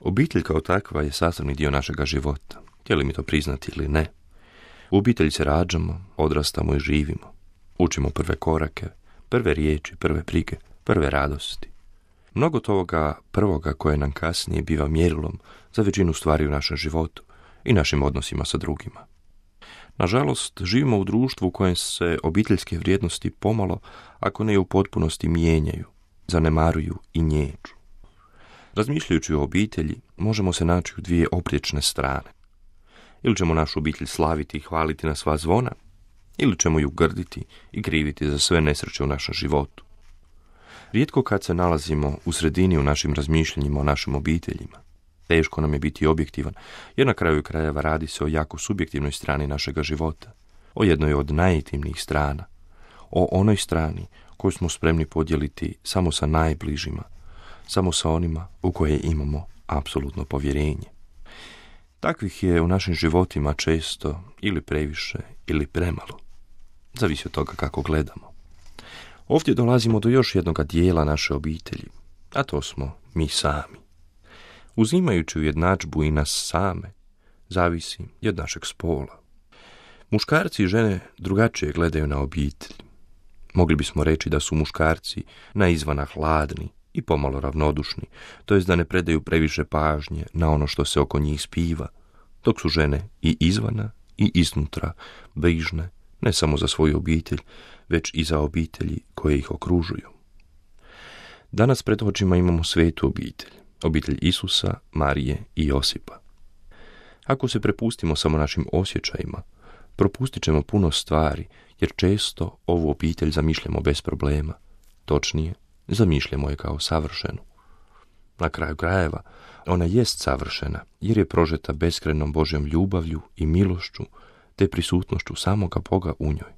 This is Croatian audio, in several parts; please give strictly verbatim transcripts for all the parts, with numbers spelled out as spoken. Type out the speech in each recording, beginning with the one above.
Obitelj kao takva je sastavni dio našega života, htjeli mi to priznati ili ne. U obitelji se rađamo, odrastamo i živimo. Učimo prve korake, prve riječi, prve brige, prve radosti. Mnogo toga prvoga koje nam kasnije biva mjerilom za većinu stvari u našem životu i našim odnosima sa drugima. Nažalost, živimo u društvu u kojem se obiteljske vrijednosti pomalo, ako ne u potpunosti, mijenjaju, zanemaruju i njeđu. Razmišljajući o obitelji, možemo se naći u dvije opriječne strane. Ili ćemo našu obitelj slaviti i hvaliti na sva zvona, ili ćemo ju grditi i kriviti za sve nesreće u našem životu. Rijetko kad se nalazimo u sredini u našim razmišljanjima o našim obiteljima. Teško nam je biti objektivan, jer na kraju krajeva radi se o jako subjektivnoj strani našega života, o jednoj od najintimnijih strana, o onoj strani koju smo spremni podijeliti samo sa najbližima, samo sa onima u koje imamo apsolutno povjerenje. Takvih je u našim životima često ili previše ili premalo. Zavisi od toga kako gledamo. Ovdje dolazimo do još jednog dijela naše obitelji, a to smo mi sami. Uzimajući ujednadžbu i nas same, zavisi i od našeg spola. Muškarci i žene drugačije gledaju na obitelj. Mogli bismo reći da su muškarci na izvana hladni i pomalo ravnodušni, to jest da ne predaju previše pažnje na ono što se oko njih spiva, dok su žene i izvana i iznutra brižne ne samo za svoju obitelj, već i za obitelji koje ih okružuju. Danas pred očima imamo svetu obitelj, obitelj Isusa, Marije i Josipa. Ako se prepustimo samo našim osjećajima, propustit ćemo puno stvari, jer često ovu obitelj zamišljamo bez problema, točnije, zamišljamo je kao savršenu. Na kraju krajeva, ona jest savršena, jer je prožeta beskrajnom Božjom ljubavlju i milošću, te prisutnošću samoga Boga u njoj.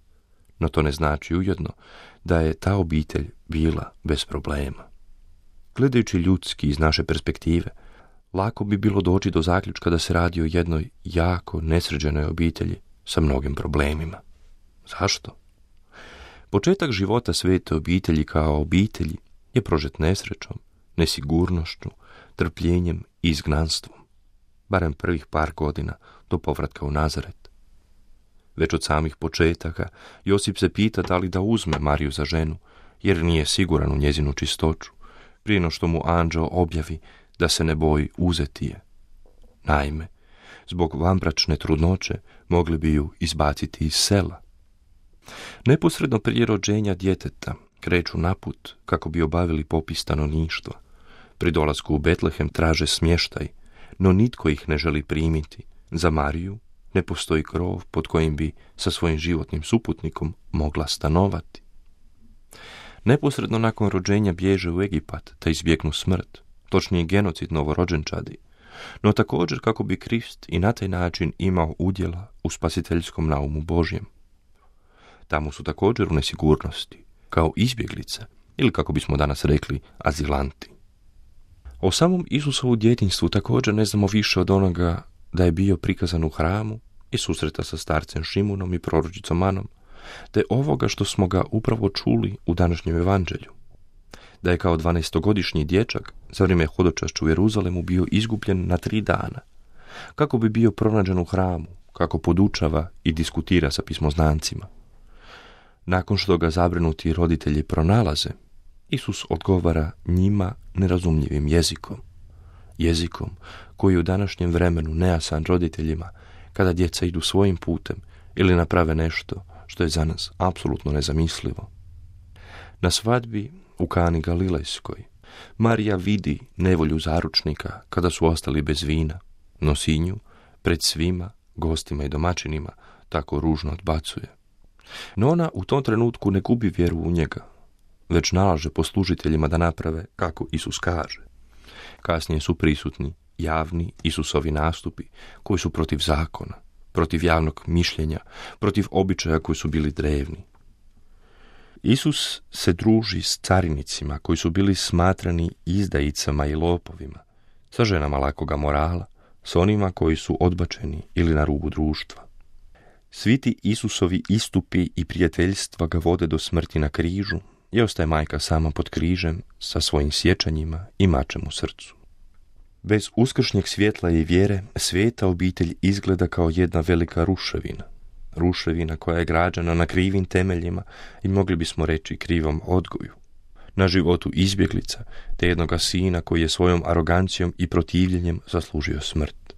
No to ne znači ujedno da je ta obitelj bila bez problema. Gledajući ljudski iz naše perspektive, lako bi bilo doći do zaključka da se radi o jednoj jako nesređenoj obitelji sa mnogim problemima. Zašto? Početak života svete obitelji kao obitelji je prožet nesrećom, nesigurnošću, trpljenjem i izgnanstvom, barem prvih par godina do povratka u Nazaret. Već od samih početaka Josip se pita da li da uzme Mariju za ženu, jer nije siguran u njezinu čistoću, prije no što mu anđeo objavi da se ne boji uzeti je. Naime, zbog vanbračne trudnoće mogli bi ju izbaciti iz sela. Neposredno prije rođenja djeteta kreću na put kako bi obavili popis stanovništva. Pri dolasku u Betlehem traže smještaj, no nitko ih ne želi primiti. Za Mariju ne postoji krov pod kojim bi sa svojim životnim suputnikom mogla stanovati. Neposredno nakon rođenja bježe u Egipat da izbjegnu smrt, točnije genocid novorođenčadi, no također kako bi Krist i na taj način imao udjela u spasiteljskom naumu Božjem. Tamo su također u nesigurnosti, kao izbjeglice, ili kako bismo danas rekli, azilanti. O samom Isusovu djetinjstvu također ne znamo više od onoga da je bio prikazan u hramu i susreta sa starcem Šimunom i proročicom Anom, te ovoga što smo ga upravo čuli u današnjem evanđelju. Da je kao dvanaestogodišnji dječak za vrijeme hodočašća u Jeruzalemu bio izgubljen na tri dana, kako bi bio pronađen u hramu, kako podučava i diskutira sa pismoznancima. Nakon što ga zabrinuti roditelji pronalaze, Isus odgovara njima nerazumljivim jezikom. Jezikom koji u današnjem vremenu nejasan roditeljima kada djeca idu svojim putem ili naprave nešto što je za nas apsolutno nezamislivo. Na svadbi u Kani Galilejskoj Marija vidi nevolju zaručnika kada su ostali bez vina, no sinju pred svima, gostima i domaćinima, tako ružno odbacuje. No ona u tom trenutku ne gubi vjeru u njega, već nalaže poslužiteljima da naprave kako Isus kaže. Kasnije su prisutni javni Isusovi nastupi koji su protiv zakona, protiv javnog mišljenja, protiv običaja koji su bili drevni. Isus se druži s carinicima koji su bili smatrani izdajicama i lopovima, sa ženama lakoga morala, s onima koji su odbačeni ili na rubu društva. Svi ti Isusovi istupi i prijateljstva ga vode do smrti na križu i ostaje majka sama pod križem sa svojim sjećanjima i mačem u srcu. Bez uskršnjeg svjetla i vjere, sveta obitelj izgleda kao jedna velika ruševina. Ruševina koja je građena na krivim temeljima i mogli bismo reći krivom odgoju. Na životu izbjeglica, te jednoga sina koji je svojom arogancijom i protivljenjem zaslužio smrt.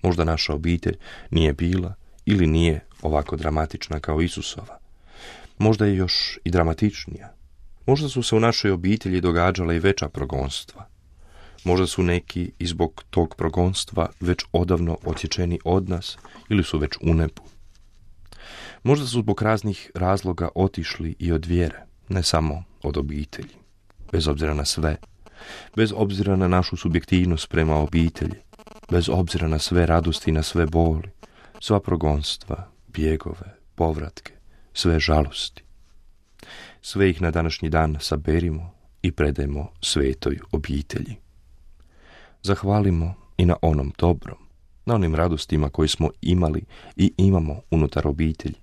Možda naša obitelj nije bila ili nije ovako dramatična kao Isusova. Možda je još i dramatičnija. Možda su se u našoj obitelji događala i veća progonstva. Možda su neki i zbog tog progonstva već odavno odsječeni od nas ili su već u nebu. Možda su zbog raznih razloga otišli i od vjere, ne samo od obitelji. Bez obzira na sve, bez obzira na našu subjektivnost prema obitelji, bez obzira na sve radosti i na sve boli, sva progonstva, bjegove, povratke, sve žalosti. Sve ih na današnji dan saberimo i predajmo svetoj obitelji. Zahvalimo i na onom dobrom, na onim radostima koje smo imali i imamo unutar obitelji,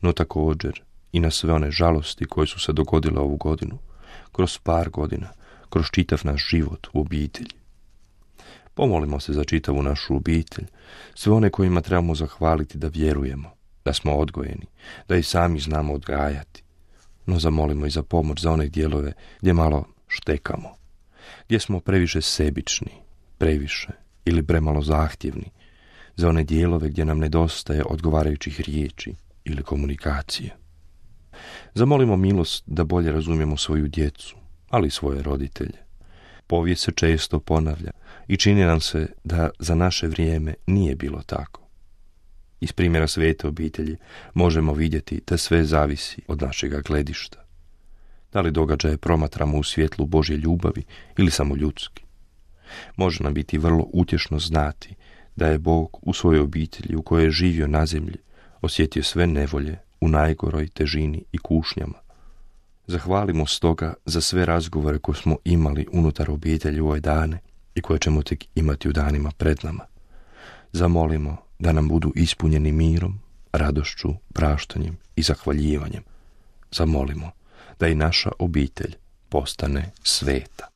no također i na sve one žalosti koje su se dogodile ovu godinu, kroz par godina, kroz čitav naš život u obitelji. Pomolimo se za čitavu našu obitelj, sve one kojima trebamo zahvaliti da vjerujemo, da smo odgojeni, da i sami znamo odgajati. No zamolimo i za pomoć za one dijelove gdje malo štekamo, gdje smo previše sebični, previše ili premalo zahtjevni, za one dijelove gdje nam nedostaje odgovarajućih riječi ili komunikacije. Zamolimo milost da bolje razumijemo svoju djecu, ali i svoje roditelje. Povijest se često ponavlja i čini nam se da za naše vrijeme nije bilo tako. Iz primjera svete obitelji možemo vidjeti da sve zavisi od našega gledišta. Da li događaje promatramo u svjetlu Božje ljubavi ili samo ljudski. Može nam biti vrlo utješno znati da je Bog u svojoj obitelji u kojoj je živio na zemlji osjetio sve nevolje u najgoroj težini i kušnjama. Zahvalimo stoga za sve razgovore koje smo imali unutar obitelji u ove dane i koje ćemo tek imati u danima pred nama. Zamolimo da nam budu ispunjeni mirom, radošću, praštanjem i zahvaljivanjem. Zamolimo da i naša obitelj postane sveta.